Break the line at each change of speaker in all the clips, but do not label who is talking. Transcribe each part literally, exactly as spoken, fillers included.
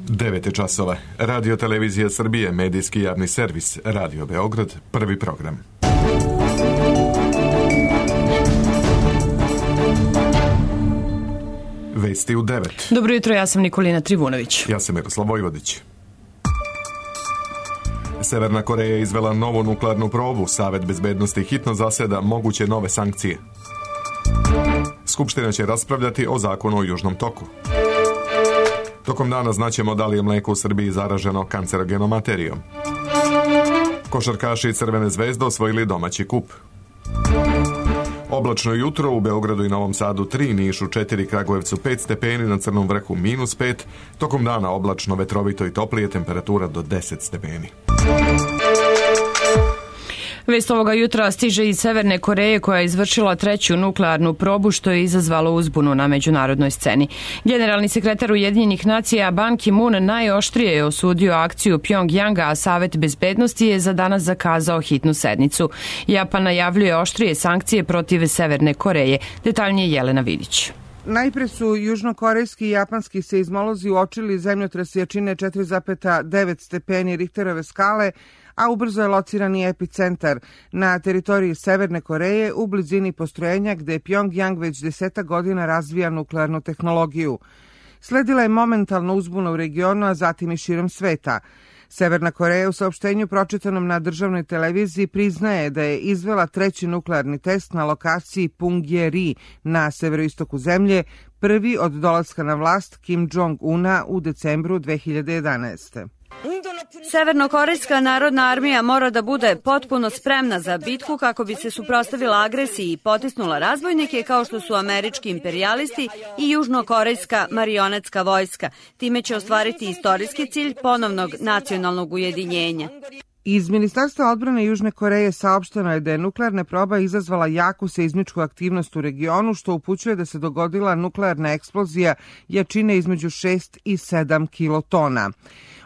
devet je časova. Radio Televizija Srbije, medijski javni servis, Radio Beograd, prvi program. Vesti u devet.
Dobro jutro, ja sam Nikolina Trivunović.
Ja sam Miroslav Vojvodić. Severna Koreja je izvela novu nuklearnu probu. Savet bezbednosti hitno zaseda moguće nove sankcije. Skupština će raspravljati o zakonu o Južnom toku. Tokom dana znaćemo da li je mlijeko u Srbiji zaraženo kancerogenom materijom. Košarkaši Crvene zvezde osvojili domaći kup. Oblačno jutro u Beogradu i Novom Sadu tri, Nišu četiri, Kragujevcu pet stepeni, na Crnom vrhu minus pet. Tokom dana oblačno, vetrovito i toplije, temperatura do deset stepeni.
Vest ovoga jutra stiže iz Severne Koreje koja je izvršila treću nuklearnu probu što je izazvalo uzbunu na međunarodnoj sceni. Generalni sekretar Ujedinjenih nacija Ban Ki-moon najoštrije je osudio akciju Pjongjanga, a Savet bezbednosti je za danas zakazao hitnu sednicu. Japan najavljuje oštrije sankcije protiv Severne Koreje. Detaljnije Jelena Vidić.
Najpre su južnokorejski i japanski seizmolozi uočili zemljotres jačine četiri zarez devet stepeni Richterove skale, a ubrzo je lociran i epicentar na teritoriji Severne Koreje u blizini postrojenja gde Pjongjang već desetak godina razvija nuklearnu tehnologiju. Sledila je momentalna uzbuna u regionu, a zatim i širom sveta. Severna Koreja u saopštenju pročitanom na državnoj televiziji priznaje da je izvela treći nuklearni test na lokaciji Punggye-ri na severoistoku zemlje, prvi od dolaska na vlast Kim Jong-una u decembru dve hiljade jedanaeste.
Severnokorejska narodna armija mora da bude potpuno spremna za bitku kako bi se suprotstavila agresiji i potisnula razbojnike kao što su američki imperijalisti i južnokorejska marionetska vojska. Time će ostvariti istorijski cilj ponovnog nacionalnog ujedinjenja.
Iz Ministarstva odbrane Južne Koreje saopšteno je da je nuklearna proba izazvala jaku seizmičku aktivnost u regionu, što upućuje da se dogodila nuklearna eksplozija jačine između šest i sedam kilotona.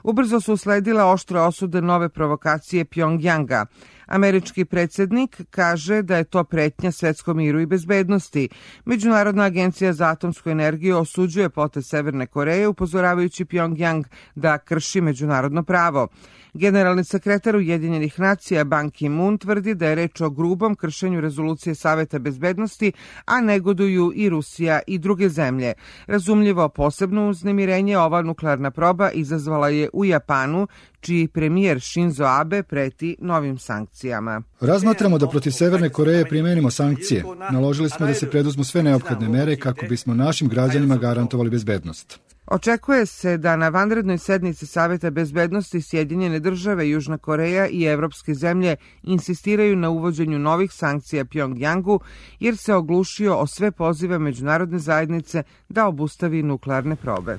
Ubrzo su usledile oštre osude nove provokacije Pjongjanga. Američki predsjednik kaže da je to pretnja svetskom miru i bezbednosti. Međunarodna agencija za atomsku energiju osuđuje potez Severne Koreje, upozoravajući Pjongjang da krši međunarodno pravo. Generalni sekretar Ujedinjenih nacija Ban Ki-moon tvrdi da je reč o grubom kršenju rezolucije Saveta bezbednosti, a negoduju i Rusija i druge zemlje. Razumljivo, posebno uznemirenje ova nuklearna proba izazvala je u Japanu, čiji premijer Shinzo Abe preti novim sankcijama.
Razmatramo da protiv Severne Koreje primenimo sankcije. Naložili smo da se preduzmu sve neophodne mere kako bismo našim građanima garantovali bezbednost.
Očekuje se da na vanrednoj sednici Saveta bezbednosti Sjedinjene države, Južna Koreja i evropske zemlje insistiraju na uvođenju novih sankcija Pjongjangu, jer se oglušio o sve pozive međunarodne zajednice da obustavi nuklearne probe.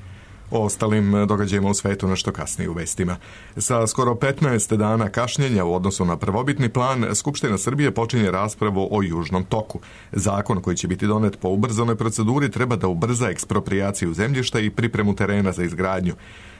O ostalim događajima u svetu nešto kasnije u vestima. Sa skoro petnaest dana kašnjenja u odnosu na prvobitni plan, Skupština Srbije počinje raspravu o Južnom toku. Zakon koji će biti donet po ubrzanoj proceduri treba da ubrza eksproprijaciju zemljišta i pripremu terena za izgradnju.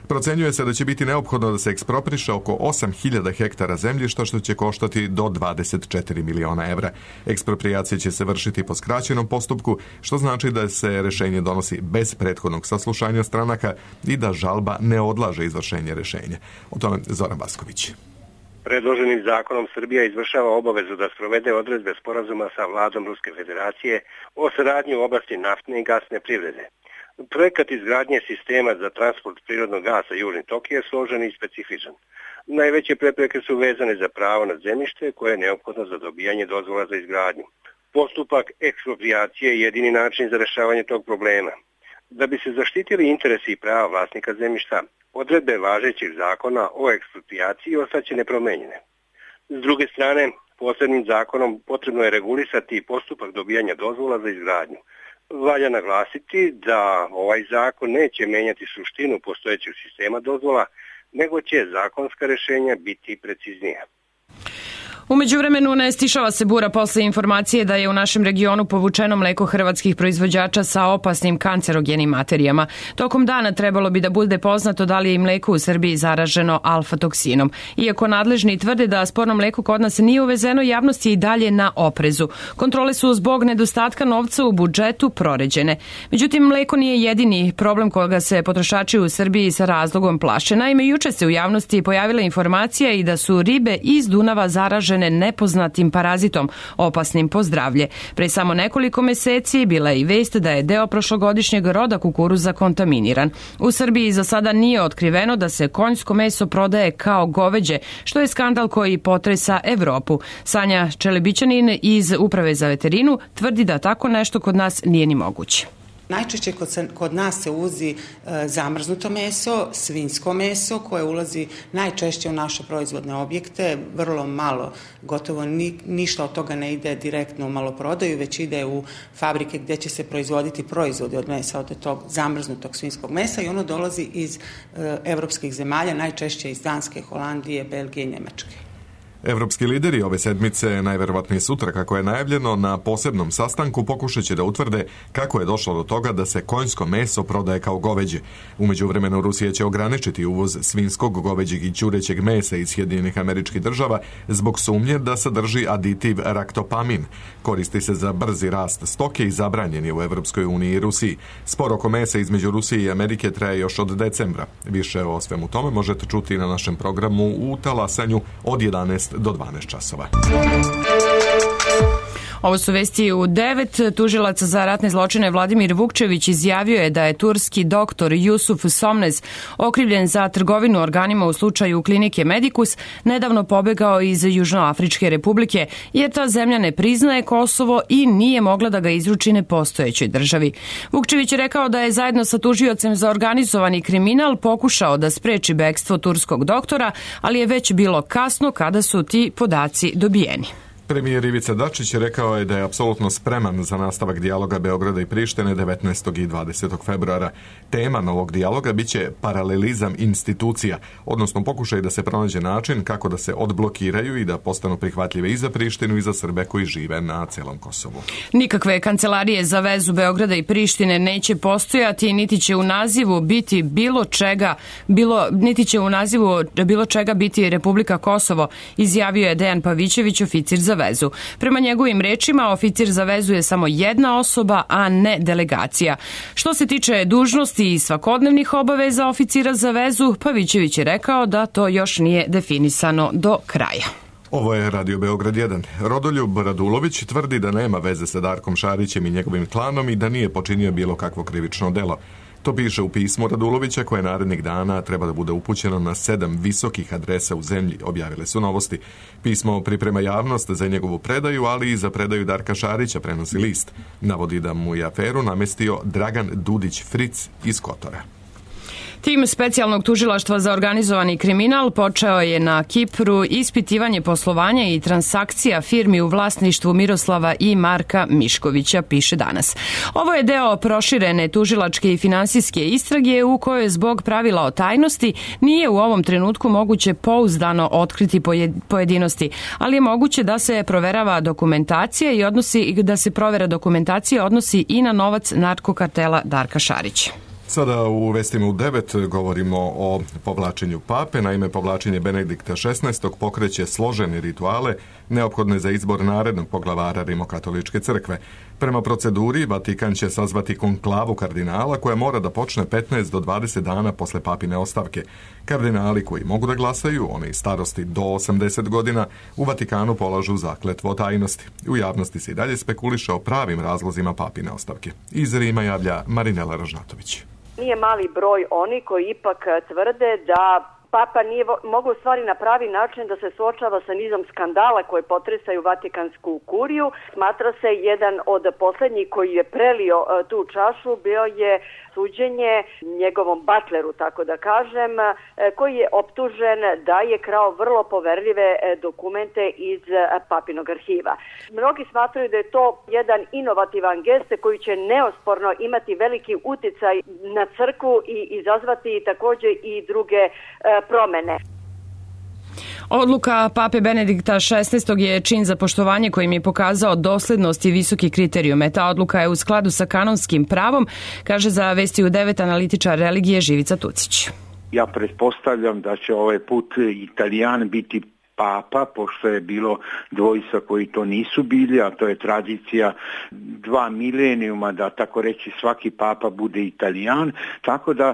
Procenjuje se da će biti neophodno da se ekspropriše oko osam hiljada hektara zemljišta, što će koštati do dvadeset četiri miliona evra. Eksproprijacija će se vršiti po skraćenom postupku, što znači da se rešenje donosi bez prethodnog saslušanja stranaka i da žalba ne odlaže izvršenje rešenja. O tome Zoran Vasković.
Predloženim zakonom Srbija izvršava obavezu da sprovede odredbe sporazuma sa vladom Ruske federacije o saradnji u oblasti naftne i gasne privrede. Projekat izgradnje sistema za transport prirodnog gasa Južni tok je složen i specifičan. Najveće prepreke su vezane za pravo na zemljište koje je neophodno za dobijanje dozvola za izgradnju. Postupak eksproprijacije je jedini način za rešavanje tog problema. Da bi se zaštitili interesi i prava vlasnika zemljišta, odredbe važećeg zakona o eksproprijaciji ostaće nepromenjene. S druge strane, posebnim zakonom potrebno je regulisati postupak dobijanja dozvola za izgradnju. Valja naglasiti da ovaj zakon neće menjati suštinu postojećeg sistema dozvola, nego će zakonska rešenja biti preciznija.
U međuvremenu ne stišava se bura posle informacije da je u našem regionu povučeno mleko hrvatskih proizvođača sa opasnim kancerogenim materijama. Tokom dana trebalo bi da bude poznato da li je i mleko u Srbiji zaraženo alfa-toksinom. Iako nadležni tvrde da sporno mleko kod nas nije uvezeno, javnost je i dalje na oprezu. Kontrole su zbog nedostatka novca u budžetu proređene. Međutim, mleko nije jedini problem koga se potrošači u Srbiji sa razlogom plaše. Naime, juče se u javnosti pojavila informacija i da su ribe iz Dunava zaražene nepoznatim parazitom, opasnim po zdravlje. Pre samo nekoliko meseci bila je i vest da je deo prošlogodišnjeg roda kukuruza kontaminiran. U Srbiji za sada nije otkriveno da se konjsko meso prodaje kao goveđe, što je skandal koji potresa Evropu. Sanja Čelebićanin iz Uprave za veterinu tvrdi da tako nešto kod nas nije ni moguće.
Najčešće kod, kod nas se uzi e, zamrznuto meso, svinjsko meso koje ulazi najčešće u naše proizvodne objekte, vrlo malo, gotovo ni, ništa od toga ne ide direktno u maloprodaju, već ide u fabrike gdje će se proizvoditi proizvodi od mesa, od tog zamrznutog svinjskog mesa i ono dolazi iz e, evropskih zemalja, najčešće iz Danske, Holandije, Belgije i Nemačke.
Evropski lideri ove sedmice, najverovatnije sutra kako je najavljeno, na posebnom sastanku pokušat će da utvrde kako je došlo do toga da se konjsko meso prodaje kao goveđe. U međuvremenu Rusija će ograničiti uvoz svinjskog, goveđeg i ćurećeg mesa iz Sjedinjenih Američkih Država zbog sumnje da sadrži aditiv raktopamin. Koristi se za brzi rast stoke i zabranjen je u Evropskoj uniji i Rusiji. Spor oko mesa između Rusije i Amerike traje još od decembra. Više o svemu tome možete čuti na našem programu u talasanju od jedanaest do dvanaest časova.
Ovo su vesti u devet. Tužilac za ratne zločine Vladimir Vukčević izjavio je da je turski doktor Jusuf Somnez, okrivljen za trgovinu organima u slučaju klinike Medicus, nedavno pobegao iz Južnoafričke republike, jer ta zemlja ne priznaje Kosovo i nije mogla da ga izruči nepostojećoj državi. Vukčević je rekao da je zajedno sa tužiocem za organizovani kriminal pokušao da spreči bekstvo turskog doktora, ali je već bilo kasno kada su ti podaci dobijeni.
Premijer Ivica Dačić rekao je da je apsolutno spreman za nastavak dijaloga Beograda i Prištine devetnaestog i dvadesetog februara. Tema novog dijaloga biće paralelizam institucija, odnosno pokušaj da se pronađe način kako da se odblokiraju i da postanu prihvatljive i za Prištinu i za Srbe koji žive na celom Kosovu.
Nikakve kancelarije za vezu Beograda i Prištine neće postojati, niti će u nazivu biti bilo čega, bilo, niti će u nazivu bilo čega biti Republika Kosovo, izjavio je Dejan Pavićević, oficir za vezu. Prema njegovim rečima, oficir za vezu je samo jedna osoba, a ne delegacija. Što se tiče dužnosti i svakodnevnih obaveza oficira za vezu, Pavićević je rekao da to još nije definisano do kraja.
Ovo je Radio Beograd jedan. Rodoljub Radulović tvrdi da nema veze sa Darkom Šarićem i njegovim klanom i da nije počinio bilo kakvo krivično delo. To piše u pismu Radulovića koje narednih dana treba da bude upućeno na sedam visokih adresa u zemlji, objavile su Novosti. Pismo priprema javnost za njegovu predaju, ali i za predaju Darka Šarića, prenosi List. Navodi da mu je aferu namestio Dragan Dudić Fric iz Kotora.
Tim specijalnog tužilaštva za organizovani kriminal počeo je na Kipru ispitivanje poslovanja i transakcija firmi u vlasništvu Miroslava i Marka Miškovića, piše Danas. Ovo je deo proširene tužilačke i finansijske istrage u kojoj zbog pravila o tajnosti nije u ovom trenutku moguće pouzdano otkriti pojedinosti, ali je moguće da se proverava dokumentacija i odnosi da se provera dokumentacija odnosi i na novac narkokartela Darka Šarića.
Sada u vestima u devet govorimo o povlačenju pape. Naime, povlačenje Benedikta šesnaestog pokreće složene rituale neophodne za izbor narednog poglavara Rimokatoličke crkve. Prema proceduri, Vatikan će sazvati konklavu kardinala koja mora da počne petnaest do dvadeset dana posle papine ostavke. Kardinali koji mogu da glasaju, oni starosti do osamdeset godina, u Vatikanu polažu zakletvu o tajnosti. U javnosti se i dalje spekuliše o pravim razlozima papine ostavke. Iz Rima javlja Marinela Ražnatović.
Nije mali broj oni koji ipak tvrde da Papa nije mogao u stvari na pravi način da se suočava sa nizom skandala koje potresaju Vatikansku kuriju. Smatra se jedan od posljednjih koji je prelio tu čašu bio je suđenje njegovom butleru, tako da kažem, koji je optužen da je krao vrlo poverljive dokumente iz papinog arhiva. Mnogi smatraju da je to jedan inovativan gest koji će neosporno imati veliki uticaj na crkvu i izazvati također i druge promene.
Odluka pape Benedikta šesnaestog je čin za poštovanje kojim je pokazao doslednost i visoki kriterijume. Ta odluka je u skladu sa kanonskim pravom, kaže za Vesti u devet analitičar religije Živica Tucić.
Ja pretpostavljam da će ovaj put Italijan biti papa, pošto je bilo dvojica koji to nisu bili, a to je tradicija dva milenijuma da tako reći svaki papa bude Italijan, tako da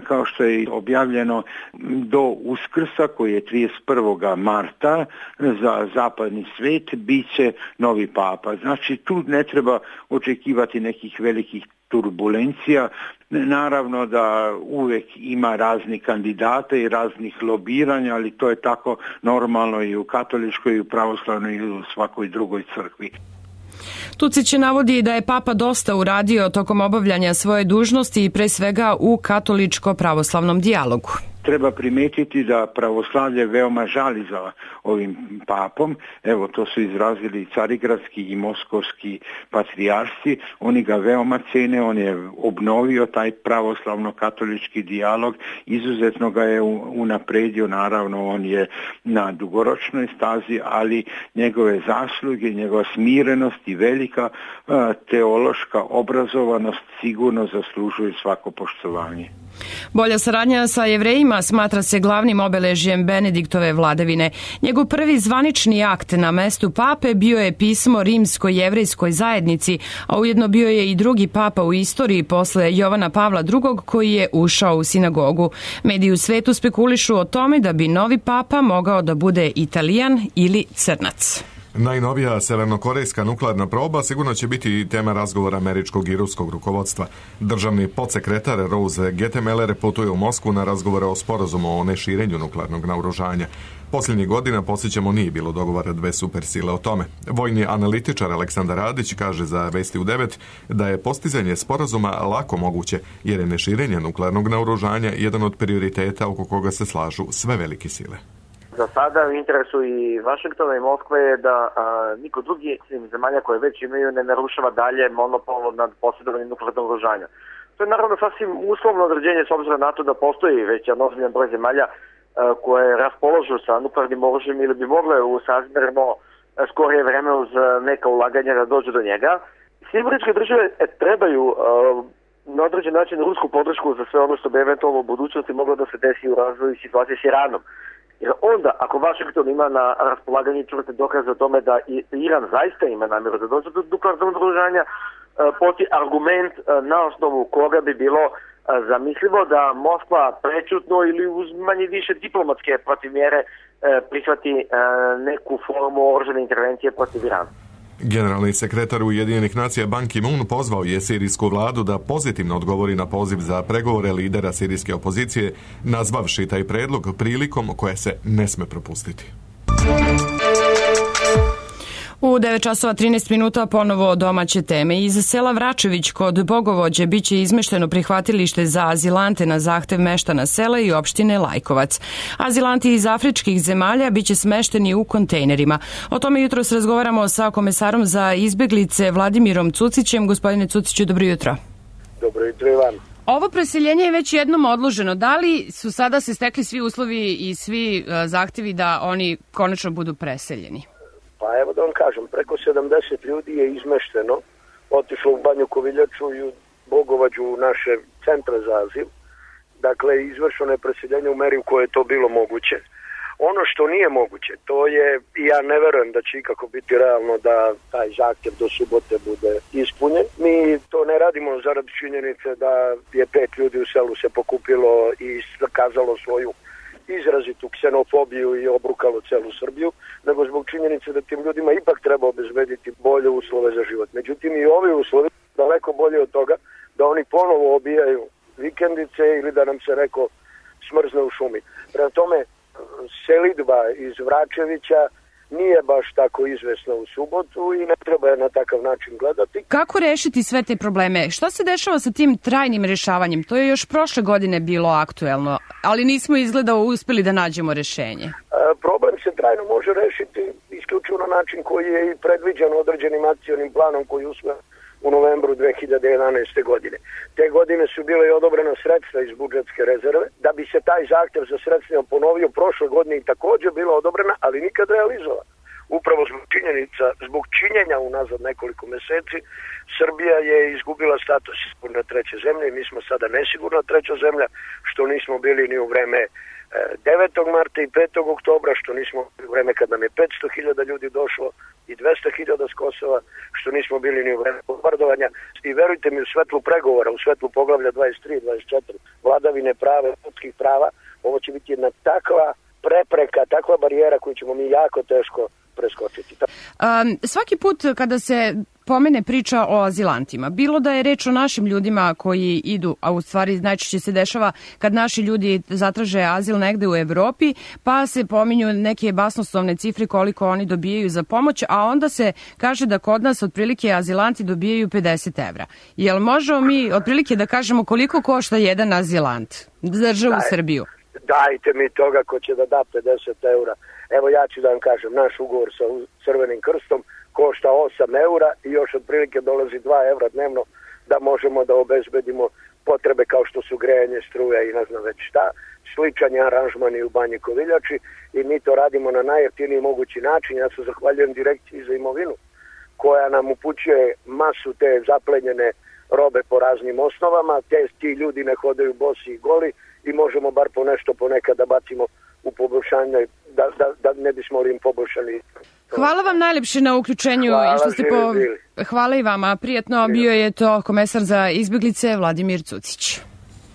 kao što je objavljeno do Uskrsa koji je trideset prvog marta za zapadni svet bit će novi papa. Znači tu ne treba očekivati nekih velikih turbulencija. Naravno da uvek ima raznih kandidata i raznih lobiranja, ali to je tako normalno i u katoličkoj, i u pravoslavnoj, i u svakoj drugoj crkvi.
Tucić navodi da je papa dosta uradio tokom obavljanja svoje dužnosti i pre svega u katoličko-pravoslavnom dijalogu.
Treba primetiti da pravoslavlje veoma žali za ovim papom. Evo, to su izrazili carigradski i moskovski patrijarsi. Oni ga veoma cene, on je obnovio taj pravoslavno-katolički dijalog, izuzetno ga je unapredio, naravno on je na dugoročnoj stazi, ali njegove zasluge, njegova smirenost i velika teološka obrazovanost sigurno zaslužuju svako poštovanje.
Bolja saradnja sa Jevrejima smatra se glavnim obeležjem Benediktove vladavine. Njegov prvi zvanični akt na mestu pape bio je pismo rimsko-jevrejskoj zajednici, a ujedno bio je i drugi papa u istoriji posle Jovana Pavla drugog koji je ušao u sinagogu. Mediji u svetu spekulišu o tome da bi novi papa mogao da bude Italijan ili Crnac.
Najnovija severnokorejska nuklearna proba sigurno će biti tema razgovora američkog i ruskog rukovodstva. Državni podsekretar Rose Gettemeller putuje u Moskvu na razgovore o sporazumu o neširenju nuklearnog naoružanja. Posljednjih godina, posjećamo, nije bilo dogovora dve supersile o tome. Vojni analitičar Aleksandar Radić kaže za Vesti u devet da je postizanje sporazuma lako moguće, jer je neširenje nuklearnog naoružanja jedan od prioriteta oko koga se slažu sve velike sile.
Za sada u interesu i Vašingtona i Moskve je da a, niko drugi zemalja koje već imaju ne narušava dalje monopol nad posjedovanjem nuklearnog naoružanja. To je naravno sasvim uslovno određenje s obzirom na to da postoji već jedan ozbiljan broj zemalja a, koje raspoložu sa nuklearnim oružjem ili bi mogle u sazmerno skorije vreme uz neka ulaganja da dođu do njega. Sjedinjene Američke Države trebaju a, na određen način rusku podršku za sve ono što bi eventualno u budućnosti moglo da se desi u razvoju situacije s Iranom. Jer onda, ako Vašington ima na raspolaganju čvrste dokaze o tome da Iran zaista ima namjeru da dođe do nuklearnog naoružanja, postoji argument na osnovu koga bi bilo zamislivo da Moskva prečutno ili uz manje više diplomatske protivmjere prihvati neku formu oružane intervencije protiv Irana.
Generalni sekretar Ujedinjenih nacija Ban Ki-moon pozvao je sirijsku vladu da pozitivno odgovori na poziv za pregovore lidera sirijske opozicije, nazvavši taj predlog prilikom koja se ne sme propustiti.
U devet časova trinaest minuta ponovo domaće teme. Iz sela Vračević kod Bogovođe biće izmešteno prihvatilište za azilante na zahtev meštana sela i opštine Lajkovac. Azilanti iz afričkih zemalja biće smešteni u kontejnerima. O tome jutros razgovaramo sa komesarom za izbeglice Vladimirom Cucićem. Gospodine Cuciću, dobro jutro.
Dobro jutro i vam.
Ovo preseljenje je već jednom odloženo. Da li su sada se stekli svi uslovi i svi zahtevi da oni konačno budu preseljeni?
Pa evo da vam kažem, preko sedamdeset ljudi je izmešteno, otišlo u Banju Koviljaču i u Bogovađu u naše centre za azil. Dakle, izvršeno je preseljenje u meri u kojoj je to bilo moguće. Ono što nije moguće, to je, i ja ne verujem da će ikako biti realno da taj zahtjev do subote bude ispunjen. Mi to ne radimo zarad činjenice da je pet ljudi u selu se pokupilo i kazalo svoju izrazitu ksenofobiju i obrukalo celu Srbiju, nego zbog činjenice da tim ljudima ipak treba obezbediti bolje uslove za život. Međutim, i ovi uslovi daleko bolje od toga da oni ponovo obijaju vikendice ili da nam se neko smrzne u šumi. Prema tome, selidba iz Vračevića nije baš tako izvesna u subotu i ne treba je na takav način gledati.
Kako rešiti sve te probleme? Šta se dešava sa tim trajnim rešavanjem? To je još prošle godine bilo aktuelno, ali nismo izgleda uspeli da nađemo rešenje.
E, problem se trajno može rešiti isključivo na način koji je i predviđen određenim akcionim planom koji usvojen u novembru dve hiljade jedanaeste. godine. Te godine su bile i odobrena sredstva iz budžetske rezerve. Da bi se taj zahtev za sredstvima ponovio prošle godine i takođe bila odobrena, ali nikad realizovana. Upravo zbog činjenica, zbog činjenja unazad nekoliko meseci, Srbija je izgubila status sigurna treće zemlje i mi smo sada nesigurna treća zemlja, što nismo bili ni u vreme devetog marta i petog oktobra, što nismo u vreme kad nam je petsto hiljada ljudi došlo i dvesta hiljada s Kosova, što nismo bili ni u vreme bombardovanja. I verujte mi, u svetlu pregovora, u svetlu poglavlja dvadeset tri dvadeset četiri, vladavine prava, ljudskih prava, ovo će biti jedna takva prepreka, takva barijera koju ćemo mi jako teško preskočiti.
Um, svaki put kada se pomene priča o azilantima, bilo da je reč o našim ljudima koji idu, a u stvari najčešće se dešava kad naši ljudi zatraže azil negde u Evropi, pa se pominju neke basnoslovne cifre koliko oni dobijaju za pomoć, a onda se kaže da kod nas otprilike azilanti dobijaju pedeset evra. Jel možemo mi otprilike da kažemo koliko košta jedan azilant za državu
Daj,
Srbiju?
Dajte mi toga ko će da da pedeset eura. Evo ja ću da vam kažem, naš ugovor sa Crvenim krstom košta osam eura i još otprilike dolazi dva evra dnevno da možemo da obezbedimo potrebe kao što su grejanje, struja i ne znam već šta. Sličan je aranžman i u Banji Koviljači i mi to radimo na najjeftiniji mogući način. Ja se zahvaljujem Direkciji za imovinu koja nam upućuje masu te zaplenjene robe po raznim osnovama, te ti ljudi ne hodaju bosi i goli i možemo bar po nešto ponekad da bacimo u poboljšanje, da, da, da ne bismo li im poboljšali.
Hvala vam najlepše na uključenju.
Hvala,
i što ste po... Hvala i vama. Prijetno, bio je to komesar za izbjeglice Vladimir Cucić.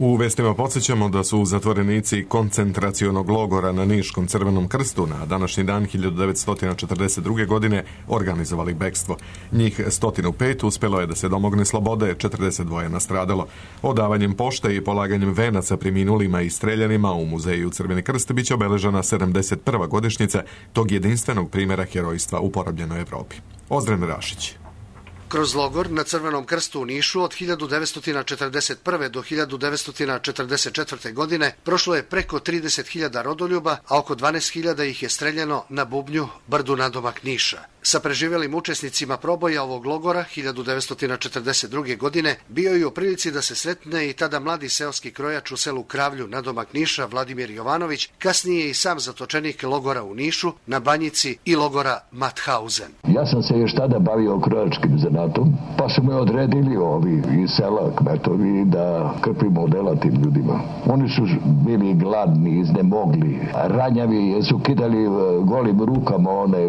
U vestima podsjećamo da su zatvorenici koncentracionog logora na Niškom Crvenom krstu na današnji dan hiljadu devetsto četrdeset druge. godine organizovali bekstvo. Njih sto pet uspelo je da se domogne slobode, četrdeset dva je nastradalo. Odavanjem pošte i polaganjem venaca preminulima i streljanima u muzeju Crveni krst biće obeležena sedamdeset prva godišnjica tog jedinstvenog primjera herojstva u porobljenoj Evropi. Ozren Rašić.
Kroz logor na Crvenom krstu u Nišu od hiljadu devetsto četrdeset prve. do hiljadu devetsto četrdeset četvrte. godine prošlo je preko trideset hiljada rodoljuba, a oko dvanaest hiljada ih je streljano na bubnju brdu nadomak Niša. Sa preživjelim učesnicima proboja ovog logora hiljadu devetsto četrdeset druge. godine bio je u prilici da se sretne i tada mladi seoski krojač u selu Kravlju nadomak Niša Vladimir Jovanović, kasnije i sam zatočenik logora u Nišu, na Banjici i logora Mauthausen.
Ja sam se još tada bavio krojačkim zanatom, pa su me odredili ovi iz sela kmetovi da krpimo odela tim ljudima. Oni su bili gladni, iznemogli, ranjavi, jer su kidali golim rukama one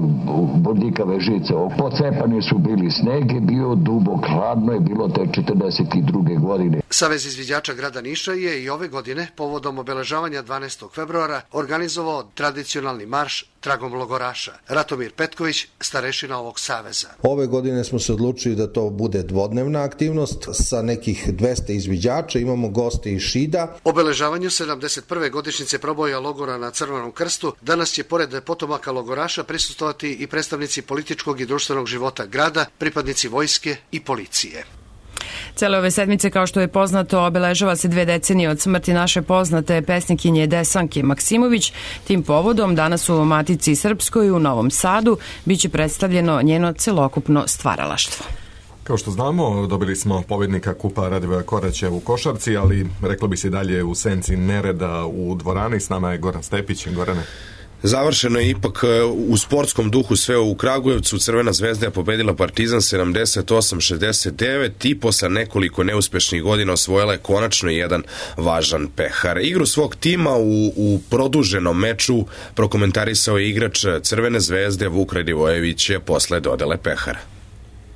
bodljikave žice. Pocepani su bili, sneg je bio dubok, hladno je bilo te četrdeset druge. godine.
Savez izviđača grada Niša je i ove godine, povodom obeležavanja dvanaestog februara, organizovao tradicionalni marš tragom logoraša. Ratomir Petković, starešina ovog saveza.
Ove godine smo se odlučili da to bude dvodnevna aktivnost sa nekih dvesta izviđača, imamo goste iz Šida.
Obeležavanju sedamdeset prve godišnjice proboja logora na Crvenom krstu danas će pored potomaka logoraša prisustvovati i predstavnici političkog i društvenog života grada, pripadnici vojske i policije.
Cele ove sedmice, kao što je poznato, obeležava se dve decenije od smrti naše poznate pesnikinje Desanke Maksimović. Tim povodom danas u Matici Srpskoj u Novom Sadu biće predstavljeno njeno celokupno stvaralaštvo.
Kao što znamo, dobili smo pobjednika Kupa Radivoja Koraća u košarci, ali reklo bi se dalje u senci nereda u dvorani. S nama je Goran Stepić. Gorane.
Završeno je ipak u sportskom duhu sve u Kragujevcu. Crvena zvezda je pobedila Partizan sedamdeset osam šezdeset devet i posle nekoliko neuspešnih godina osvojila je konačno jedan važan pehar. Igru svog tima u, u produženom meču prokomentarisao je igrač Crvene zvezde Vuk Radivojević posle dodele pehara.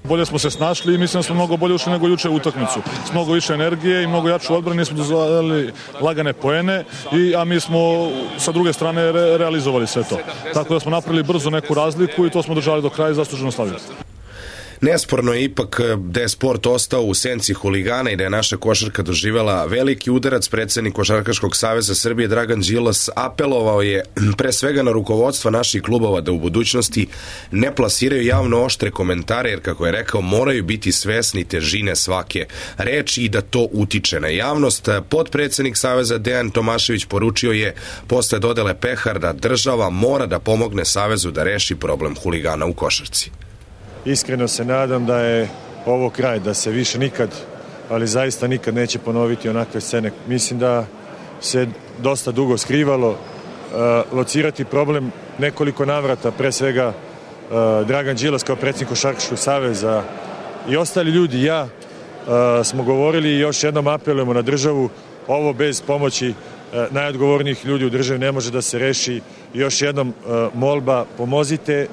Bolje smo se snašli i mislim da smo mnogo bolje ušli nego juče u utakmicu. S mnogo više energije i mnogo jače odbrane smo dozvolili lagane poene, i, a mi smo sa druge strane re, realizovali sve to. Tako da smo napravili brzo neku razliku i to smo držali do kraja i zasluženo slavili.
Nesporno je ipak da je sport ostao u senci huligana i da je naša košarka doživjela veliki udarac. Predsednik Košarkaškog saveza Srbije Dragan Đilas apelovao je pre svega na rukovodstva naših klubova da u budućnosti ne plasiraju javno oštre komentare, jer kako je rekao moraju biti svesni težine svake reči i da to utiče na javnost. Potpredsednik saveza Dejan Tomašević poručio je posle dodele pehar da država mora da pomogne savezu da reši problem huligana u košarci.
Iskreno se nadam da je ovo kraj, da se više nikad, ali zaista nikad neće ponoviti onakve scene. Mislim da se dosta dugo skrivalo, uh, locirati problem nekoliko navrata, pre svega uh, Dragan Đilas kao predsjednik Košarkaškog saveza i ostali ljudi, ja, uh, smo govorili i još jednom apelujemo na državu, ovo bez pomoći uh, najodgovornijih ljudi u državi ne može da se reši. Još jednom uh, molba, pomozite.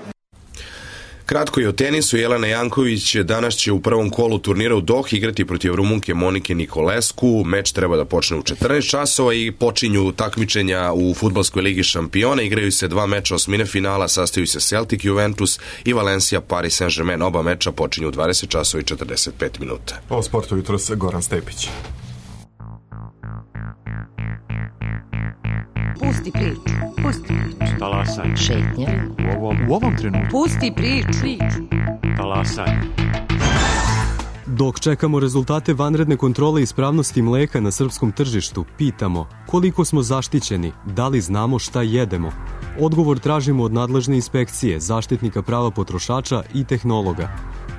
Kratko i o tenisu, Jelena Janković danas će u prvom kolu turnira u Dohi igrati protiv Rumunke Monike Nikolescu. Meč treba da počne u četrnaest časova i počinju takmičenja u fudbalskoj ligi šampiona. Igraju se dva meča osmine finala, sastaju se Celtic Juventus i Valencia Paris Saint-Germain. Oba meča počinju u dvadeset časova i četrdeset pet minuta.
O sportu jutros Goran Stepić.
Pusti priču, pusti priču.
Talasaj.
Šetnja.
U ovom, u ovom trenutku.
Pusti priču.
Talasaj.
Dok čekamo rezultate vanredne kontrole ispravnosti mleka na srpskom tržištu, pitamo koliko smo zaštićeni, da li znamo šta jedemo. Odgovor tražimo od nadležne inspekcije, zaštitnika prava potrošača i tehnologa.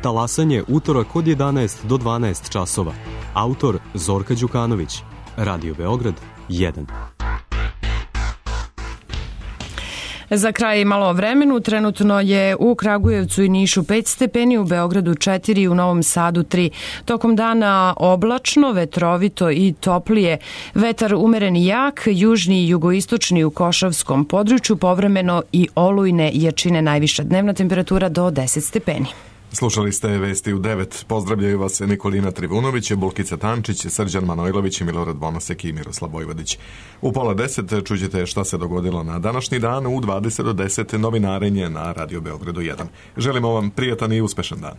Talasanje utorak od jedanaest do dvanaest časova. Autor Zorka Đukanović. Radio Beograd jedan.
Za kraj malo o vremenu, trenutno je u Kragujevcu i Nišu pet stepeni, u Beogradu četiri, u Novom Sadu tri. Tokom dana oblačno, vetrovito i toplije. Vetar umeren i jak, južni i jugoistočni u Košavskom području, povremeno i olujne jačine, najviša dnevna temperatura do deset stepeni.
Slušali ste Vesti u devet. Pozdravljaju vas Nikolina Trivunović, Bulkica Tančić, Srđan Manojlović, Milorad Bonosek i Miroslav Vojvodić. U pola deset čućete šta se dogodilo na današnji dan, u dvadeset do deset novinarenje na Radio Beogradu jedan. Želimo vam prijatan i uspešan dan.